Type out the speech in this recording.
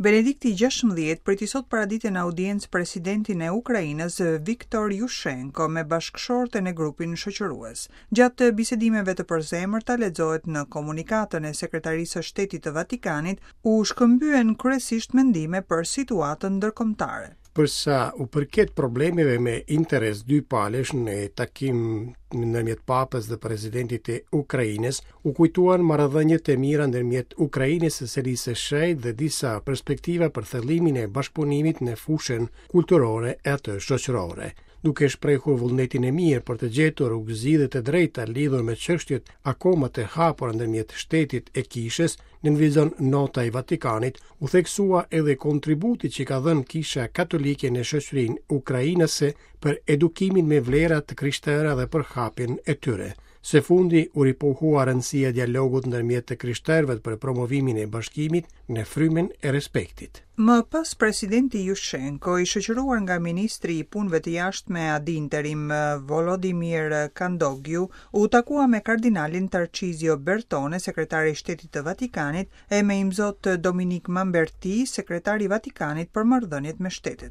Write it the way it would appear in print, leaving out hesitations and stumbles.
Benedikti 16 priti sot paradite në audiencë presidentin e Ukrainës Viktor Jushenko me bashkëshorten e grupin shoqërues. Gjatë bisedimeve të përzemërta lexohet në komunikatën e Sekretarisë së Shtetit të Vatikanit, u shkëmbyen kryesisht mendime për situatën ndërkombëtare. Për sa u përket problemeve me interes dypalësh në takim ndërmjet Papës dhe presidentit të Ukrainës, u kujtuan marrëdhëniet e mira ndërmjet Ukrainës e Selisë së Shenjtë dhe disa perspektiva për thellimin e bashkëpunimit në fushën kulturore e atë shoqërore. Duke shprehur vullnetin e mirë për të gjetur rrugëzgjidhje të drejta lidhur me çështjet akoma të hapura ndërmjet shtetit e kishës, nënvizon nota e Vatikanit, u theksua edhe kontributi që ka dhënë Kisha Katolike në shoqërinë ukrainase për edukimin me vlera të krishtera dhe për hapjen e tyre. Së fundi u ripohua rëndësia e dialogut ndërmjet të krishterëve për promovimin e bashkimit në frymën e respektit. Më pas presidenti Jushenko, i shoqëruar nga ministri i Punëve të Jashtme ad interim Volodymyr Khandogiy, u takua me kardinalin Tarcizio Bertone, sekretar i Shtetit të Vatikanit, e me imzot Dominik Mamberti, sekretar i Vatikanit për marrëdhëniet me shtetet.